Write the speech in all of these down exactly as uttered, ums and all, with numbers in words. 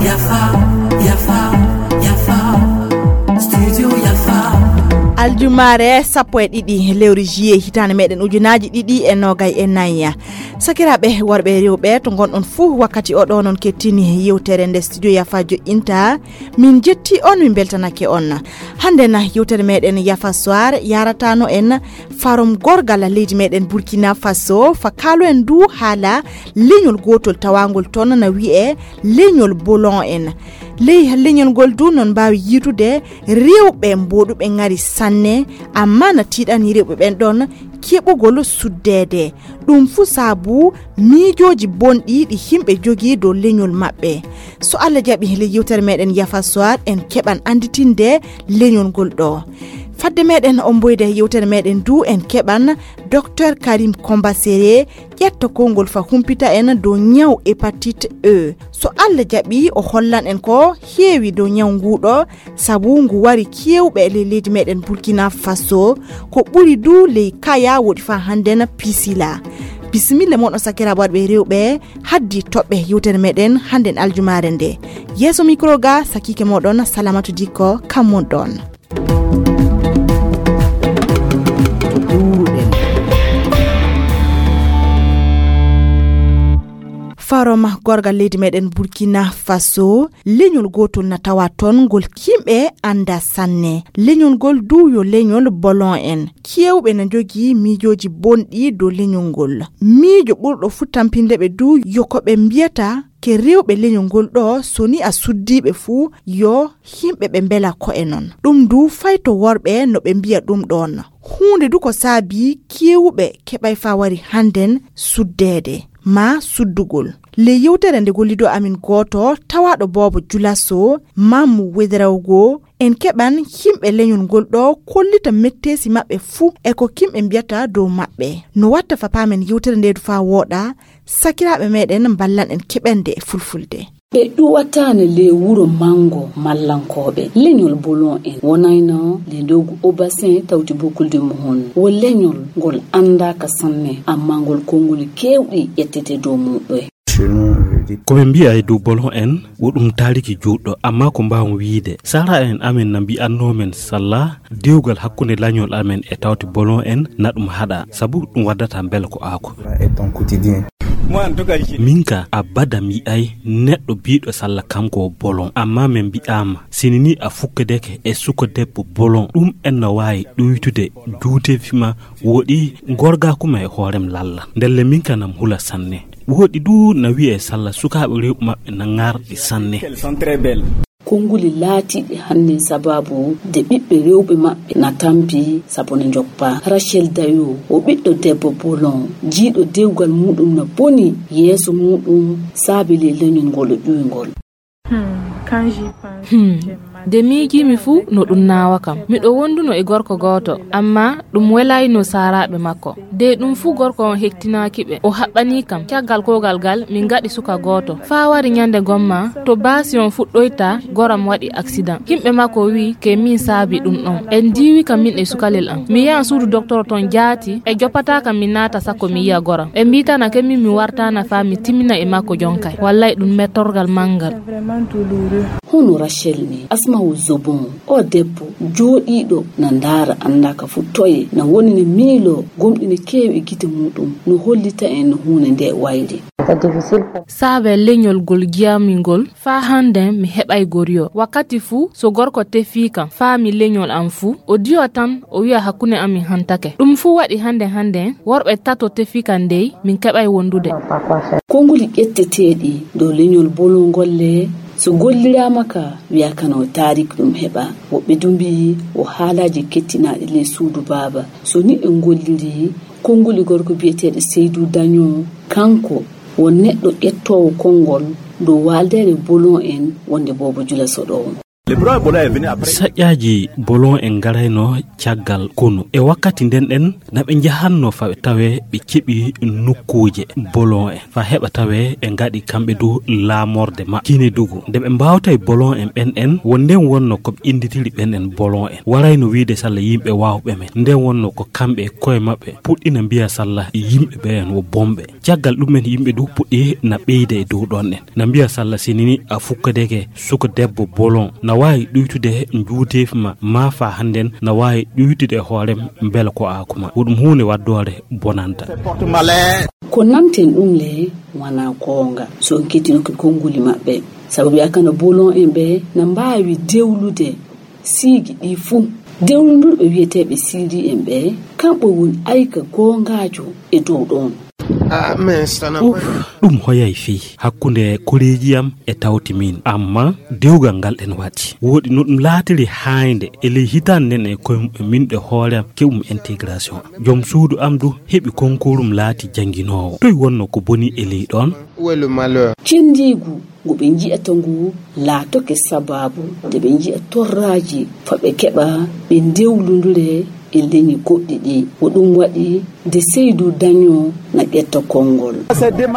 Yafa, yafa, yafa. Studio Yafa. Aljumaare sappo e ɗiɗi lewru juillet hitaande meɗen ujunaaji ɗiɗi e noogay e nayi. Sakiraaɓe worɓe e rewɓe to ngonɗon fuu, wakkati oɗo non kettini yewtere nde Studio Yafa joƴƴinta. Min jetti on, min beltanake on. Hannde na yewtere meɗen Yafa Soir yaratano en farom gorgal leydi meɗen Burkina Faso, fa kaalo en du haala leñol gotol tawangol ton na wi'e leñol Bolon en. Ley leñol ngol du non mbaawi yiitude rewɓe mboɗuɓe ngari sanne, amma na tiiɗani rewɓe ɓen ɗon keɓugol suddeede. Ɗum fuu saabu miijooji bonɗi ɗi yimɓe jogii dow leñol maɓɓe. So Allah jaɓi, le yewtere meɗen Yafa Soir en keɓan annditinde leñol ngol ɗo. Fadde meɗen omboyde yewtere meɗen du, en keɓan Docteur Karim Kombasere, ƴetto konngol fa humpita en dow ñaw hépatite E. So Allah jaɓi, o hollan en ko heewi dow ñaw nguɗo, sabu ngu wari keewɓe e ley leydi meɗen Burkina Faso, ko ɓuri du ley Kaya woɗi fa hannde na Pisila. Bisimilla moɗon sakiraaɓe worɓe e rewɓe, haddi toɓɓe yewtere meɗen hannde aljumaare nde. Yeeso micro ga, sakiike moɗon Salamatu Dikko, kam mon ɗon. Farom gorgal leydi meɗen Burkina Faso, leñol gotol na tawa ton ngol yimɓe annda sanne. Leñol ngol du yo leñol Bolon en. Keewɓe na njogii miijooji bonɗi dow leñol ngol. Miijo ɓurɗo fuu tampinde ɓe du yo ko ɓe mbiyata ke rewɓe leñol ngol ɗo, so ni a suddiiɓe fuu, yo yimɓe ɓe mbela ko'e non. Ɗum du fay to worɓe no ɓe mbiya ɗum ɗon. Huunde du ko saabi keewɓe keɓay fa wari hannden suddeede maa suddugol. Ley yewtere nde gollido amin gooto tawaaɗo boobo Julaso, Mamu Wedrawgo, en keɓan yimɓe leñol ngol ɗo kollita metteesi maɓɓe fuu e ko yimɓe mbiyata dow maɓɓe. No watta fa paamen yewtere nde du faa wooɗa, sakiraaɓe meɗen mballan en keɓende e fulfulde. Ɓe ɗuwataano ley wuro manngo mallankooɓe. Leñol Bolon en wonayno le ndogu Obasin tawti bokulde muhun. Wo leñol ngol anndaaka sanne, amma ngol konnguli keewɗi ƴettete dow muɗɗoy. Ko ɓe mbi'a e dow Bolon en, wo ɗum taariki juutɗo, amma ko mbaawon wi'ide, sara en amen na mbi'annoo men salla dewgal hakkunde lañol amen e tawti Bolon en na ɗum haɗa, sabu ɗum waddata mbela ko aako. Min ka abada mi yi'ay neɗɗo biiɗo salla kanko o Bolon, amma min mbi'aama, sini ni a fukkedeke e suka debbo Bolon, ɗum en na waawi ɗuytude juuteefi ma woɗi gorgaaku ma e hoorem lalla. Ndelle min ka nam hula sanne. Woɗi du na wi'e salla sukaaɓe rewɓe maɓɓe na ŋarɗi sanne. Konnguli laatiiɗi hannden sabaabu de ɓiɓɓe rewɓe maɓɓe na tampi sabu na njoppa. Rachel Dayo o ɓiɗɗo debbo Bolon, jiiɗo dewgal muɗum na boni yeeso muɗum saabi le leñol ngol o ƴuwi ngol. Hmm, nde miijiimi fuu no ɗum naawa kam. Miɗo wonduno e gorko gooto, amma ɗum welaayno saaraaɓe makko. De ɗum fuu gorko on hektinaaki ɓe, o haɓɓanii kam. Caggal kuugal gal, min ngaɗi suka gooto. Faa wari ɲande gomma, to baasi on fuɗɗoyta, goram waɗi aksidan. Himɓe makko wi'i ke min saabi ɗum ɗon. En diiwi ka min e sukalel am. Mi yahan suudu doktor ton jaati, e joppataa kam mi naata sakko mi yi'a goram. Ɓe mbiitana ke min mi wartaana faa mi timmina e makko jonkay. Wallay ɗum mettorgal manngal. Hono Rachel ni, Asma'u Zobon, o debbo jooɗiiɗo na ndaara anndaa ka fu toye, na woni ne miiloo gomɗi ne keewi e gite muuɗum, no hollita en no huunde nde wayli. Saabe leñol gol jiyami ngol, faa hannden mi heɓay goriyo. Wakkati fuu, so gorko tefii kam, faa mi leñol am fuu, o diwa tan, o wi'a hakkunde amin hantake. Ɗum fuu waɗi hannden hannden, worɓe tato tefii kam dey, min keɓay wondude. Konnguli ƴetteteeɗi dow leñol Bolon ngol le, so golliraama ka, wi'a kano taariik ɗum heɓa. Woɓɓe du mbi'i wo haalaaji kettinaaɗi ley suudu baaba. So ni en golliri, konnguli gorko bi'eteeɗo Seydu Dañon, kanko wo neɗɗo ƴettoowo konngol dow waaldeere Bolon en wonde boobo Jula Soɗoowo. Saƴƴaaji bolon en ngarayno caggal konu. E wakkati nden ɗen, na ɓe njahanno fa ɓe tawee ɓe keɓi nokkuuje bolon en, fa heɓa tawee ɓe ngaɗi kamɓe du laamorde maɓɓe Kinedugu. Nde ɓe mbaawtay bolon en ɓen en, wo nden wonno ko ɓe innditiri ɓen en bolon en. Warayno wiide salla yimɓe waawɓe men. Nden wonno ko kamɓe e koye maɓɓe puɗɗina mbiya salla yimɓe ɓe en wo bomɓe. Caggal ɗum en yimɓe du puɗɗi na ɓeyda e dow ɗon en. Na mbiya salla sinini a fukkadeke suka debbo bolon. Na waawi ɗuytude njuuteefi ma, ma fa hannden na waawi ɗuytude e hoorem mbela ko aakuma. Wo ɗum huunde waddoore bonanta. Ko nanten ɗum le wana goonga. So on kettinoke konnguli maɓɓe. Sabu wi'a kana bolon en ɓe na mbaawi dewlude siigi ɗi fuu. Dewlundurɓe wi'eteeɓe siiri en ɓe, kamɓe woni ayka goongaajo e dow ɗon. Uf, ɗum hoyay fii hakkunde koreeji am e tawti min. Amma dewgal ngal ɗen waɗi. Woɗi no ɗum laatiri haaynde e ley hitaande nden e koye min ɗe hoore am keɓum intégration. Joom suudu am du heɓi konkuurum laati jannginoowo. Toy wonno ko boni e ley ɗon? Où est le malheur? Cendiigu ngu ɓe nji'ata ngu laatoke sabaabu nde ɓe nji'a torraaji fa ɓe keɓa ɓe ndewlundure e leñi goɗɗi ɗi. Ko ɗum waɗi nde Seydou Dagnon na ƴetta konngol.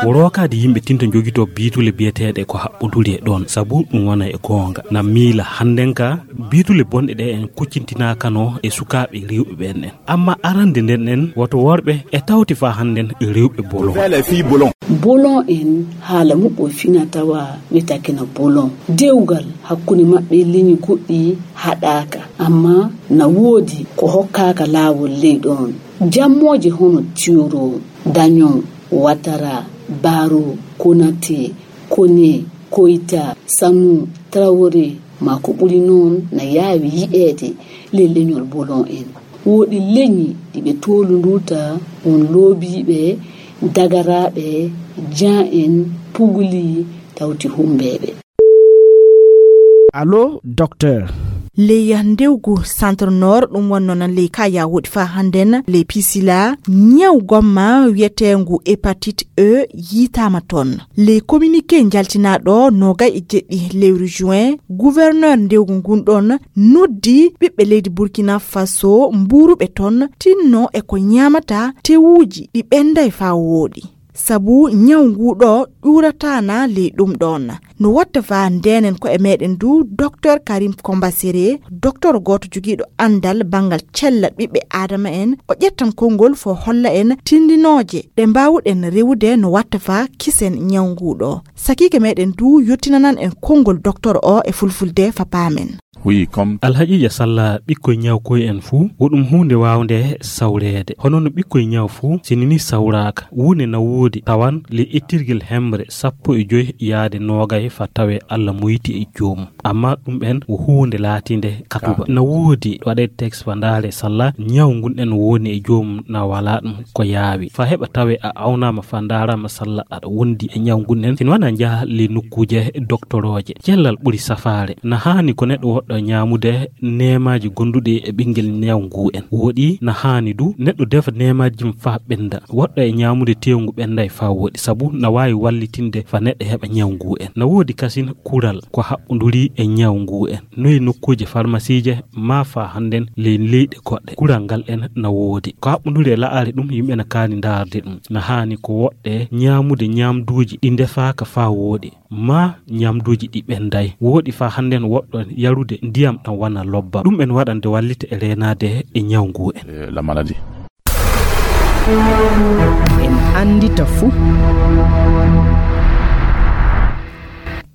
Wo rookaade yimɓe tinta njogitoo biitule biyeteeɗe ko haɓɓoduri e ɗoon, sabu ɗum wona e goonga. Na miila hannden ka, biitule bonɗe ɗe en kuccintinaakano e sukaaɓe rewɓe ɓeen en. Amma arande nden en, woto worɓe e tawti faa hannden rewɓe bolon. Bolon en haala muɓɓo fina tawa wiyetake na bolon. Dewgal hakkunde maɓɓe e leñi goɗɗi haɗaaka, amma na woodi ko hokkaaka laawol ley ɗoon. Jammooje hono Tiyoro, Danyon, Watara, Baro, Konate, Kone, Koyta, Samu, Trawore, maa ko ɓuri noon na yaawi yi'eede ley leñol bolon en. Woodi leñi ɗi ɓe toolundurta won loobiiɓe, dagaraaɓe, jan en, puguli, tawti humbeeɓe. Allo, docteur. Ley ndewgu Centre Nord, ɗum wonno nan ley ka ya woɗi fa hannden, ley Pisila, ñaw gomma wiyeteengu hépatite E yiitaama toon. Ley communiqué njaltinaaɗo noogay e jeɗɗi lewru juin, gouverneur ndewgu ngun ɗon noddi ɓiɓɓe leydi Burkina Faso mbuuruɓe toon tinno e ko ñaamata tewuuji ɗi ɓenday fa wooɗi. Sabu ñaw nguu ɗo ƴuurataana ley ɗum ɗoon. No watta fa ndeenen ko e meeɗen du, Docteur Karim Kombasere, docteur gooto jogiiɗo anndal banngal cellal ɓiɓɓe Aadama en, o ƴettan konngol fo holla en tinndinooje ɗe mbaawuɗen rewude no watta fa kisen ñaw nguu ɗo. Sakiike meeɗen du yottinanan en konngol docteur o e fulfulde fa paamen. Wi, kom. Alhaqiiqa salla ɓikkoy ñawkoy en fuu, wo ɗum huunde waawnde sawreede. Hono no ɓikkoy ñaw fuu, si nini sawraaka, wuune na woodi tawan le ittirgel hemre sappo e joy yaade noogay fa tawe Alla muyti e joomum. Amma ɗum en wo huunde laatiinde katuba. Ka. Na woodi waɗe teks fa ndaare salla ñaw ngun en woni e joomum na walaa ɗum ko yaawi. Fa heɓa tawe a awnaama fa ndaaraama salla aɗa wondi e ñaw ngun en. Sin wana njaha le nokkuuje doktorooje. Cellal ɓuri safaare. Na haani ko neɗɗo woɗɗo ñaamude neemaaji gonduɗi e ɓinngel ñaw ngu en. Woɗi na haani du neɗɗo defa neemaaji mum faa ɓennda. Woɗɗo e ñaamude teewu ngu ɓennday faa woɗi, sabu na waawi wallitinde faa neɗɗo heɓa ñaw ngu en. Na woodi kasin kural ko haɓɓunduri e ñaw ngu en. Noy nokkuuje farmasiije maa faa hannden ley leyɗe goɗɗe. Kural ngal en na woodi. Ko haɓɓunduri e la'are ɗum yimɓe na kaani ndaarde ɗum. Na haani ko woɗɗe ñaamude ñaamduuji ɗi ndefaaka faa woɗi. Maa ñamduuji ɗi ɓenday. Woɗi faa hannden woɗɗo yarude ndiyam ɗam wana lobba. Ɗum en waɗande wallita e reenaade e ñaw ngu en. Eh, la maladie. En anndita fuu.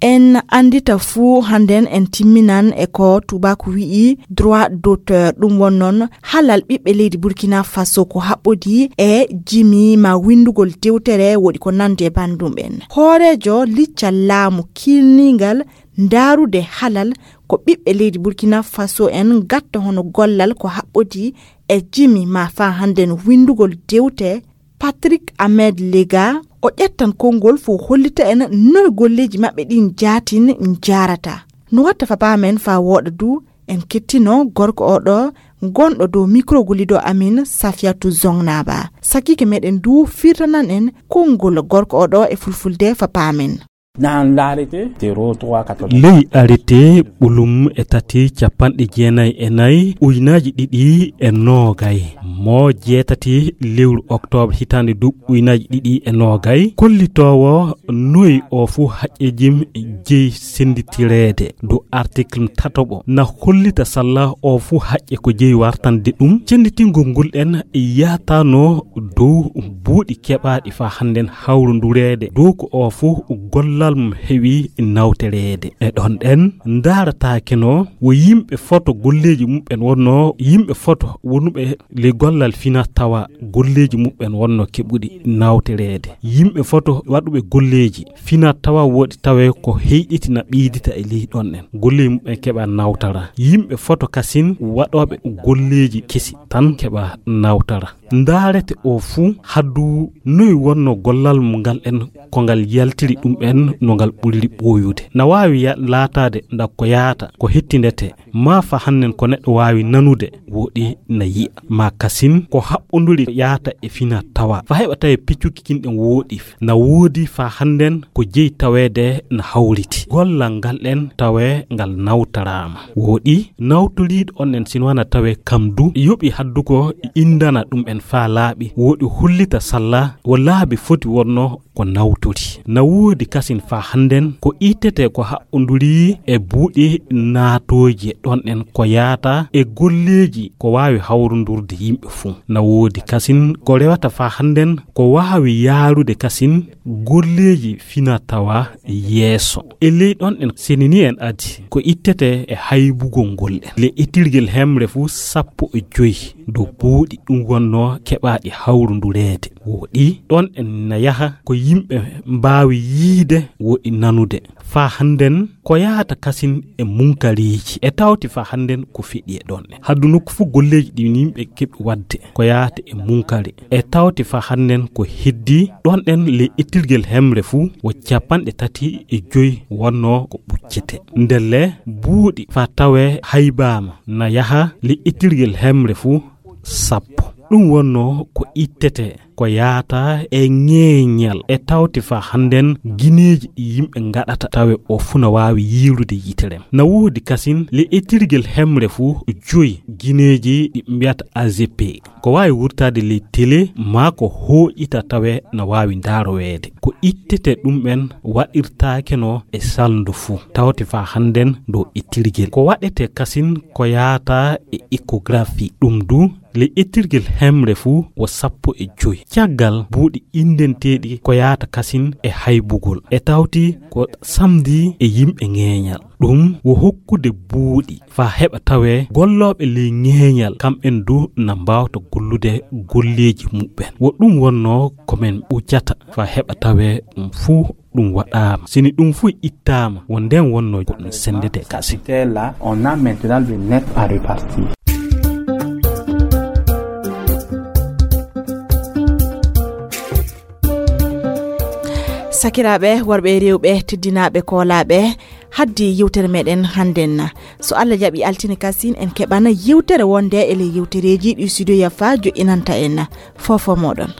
En anndita fuu hannden en timminan e ko tuubaaku wi'i droit d'auteur. Ɗum won noon halal ɓiɓɓe leydi Burkina Faso ko haɓɓodi e jimi ma winndugol dewtere woɗi ko nandi e banndum en. Hooreejo liccal laamu kiilningal ndaarude halal ko ɓiɓɓe leydi Burkina Faso en gatta hono gollal ko haɓɓodi e jimi ma faa hannden winndugol dewte Patrick Ahmed Lega, o ƴettan konngol fof hollita en noy golleeji maɓɓe ɗin jaatin njaarata. No watta fa paamen faa wooɗa du, en kettino gorko o ɗo, gonɗo dow micro gollido amin, Safiatou Zongnaba. Sakiike meɗen du firtanan en konngol gorko o ɗo e fulfulde fa paamen. Dans l'arrêté zéro trois quatre-vingt. Ley arrêté ɓolum e tati capanɗe jeenayi e nayi ujunaaji ɗiɗi e noogay, mo jeetati lewru octobre hitaande du ujunaaji ɗiɗi e noogay, kollitoowo noyi o fuu haqqeejim jeyi sennditireede du article tataɓo na hollita salla o fuu haqqe ko jeyi wartande ɗum. Cennditingol ngol en yaatano dow buuɗi keɓaaɗi faa hannden hawrondureede dow ko o fuu gollal mum heewi nawtoreede. E ɗon ɗen ndaarataake no wo yimɓe foto golleeji muɓɓen wonno yimɓe foto wonuɓe ley gollal fina tawa golleeji muɓɓen wonno keɓuɗi nawtoreede. Yimɓe foto waɗuɓe golleeji fina tawa woɗi tawe ko heyɗiti na ɓeydita e ley ɗon en. Golleeji muɓɓen keɓa nawtara. Yimɓe foto kasin waɗooɓe golleeji kesi tan keɓa nawtara. Ndaarete o fuu haddu noy wonno gollal mo ngal en ko ngal yaltiri ɗum en no ngal ɓuriri ɓooyude. Na waawi ya-, laataade nda ko yaata, ko hettindete, maa fa hannden ko neɗɗo waawi nanude, woɗi na yi'a. Maa kasin ko haɓɓonduri yaata e fina tawa. Fa heɓa tawe piccuki kin ɗen woɗi. Na woodi fa hannden ko jeyi taweede na hawriti. Gollal ngal en tawe ngal nawtaraama. Woɗi nawtoriiɗo on en sinwana tawe kam du yoɓi haddu ko indana ɗum en fa laaɓi. Woɗi hollita salla wo laabi foti wonno ko nawtori. Na woodi kasin fa hannden ko ittete ko haɓɓonduri e buuɗi naatooji ɗon en ko yaata e golleeji ko waawi hawrondurde yimɓe fuu. Na woodi kasin ko rewata fa hannden ko waawi yaarude kasin golleeji fina tawa yeeso. E ley ɗon en senini en adi ko ittete e haybugol ngol en. Le etirgel hemre fuu sappo e joy dow buuɗi ɗum wonno keɓaaɗi hawrundureede. Woɗi ɗon en na yaha ko yimɓe mbaawi yiide woɗi nanude. Faa hannden ko yaata kasin e munkareeji. E tawti faa hannden ko feɗi e ɗon en. Haddu nokku fuu golleeji ɗi yimɓe keɓi waɗde ko yaata e munkare. E tawti faa hannden ko heddi ɗon en le ittirgel hemre fuu wo capanɗe tati e joy wonno ko ɓuccete. Ndelle buuɗi faa tawe haybaama na yaha le ittirgel hemre fuu sappo. Ɗum wonno ko ittete ko yaata e ŋeeñal e tawti faa hannden gineeji ɗi yimɓe ngaɗata tawe o fuu na waawi yiirude yitere. Na woodi kasin le ittirgel hemre fuu joy gineeji ɗi mbiyata A G P. Ko waawi wurtaade ley tele maa ko hooƴita tawe na waawi ndaaroweede. Ko ittete ɗum en waɗirtaake no e salndu fuu. Tawti faa hannden dow ittirgel. Ko waɗete kasin ko yaata e échographie. Ɗum du le ittirgel hemre fuu wo sappo e joy. Caggal buuɗi indenteeɗi ko yaata kasin e haybugol. E tawti ko samdi e yimɓe ŋeeñal. Ɗum wo hokkude buuɗi faa heɓa tawee gollooɓe ley ŋeeñal, kamɓen du na mbaawta gollude golleeji muɓɓen. Wo ɗum wonnoo ko men ɓuccata faa heɓa tawee ɗum fuu ɗum waɗaama. Sini ɗum fuu ittaama, wo nden wonnoo ko ɗum senndete kasi. Là, on a maintenant le net à repartir. Sakiraaɓe worɓe e rewɓe, teddinaaɓe koolaaɓe, haddi yewtere meɗen hannden. So Allah jaɓi, altine kasin en keɓana yewtere wonde e ley yewtereeji ɗi Studio Yafa joƴƴinanta en. Fofo moɗon.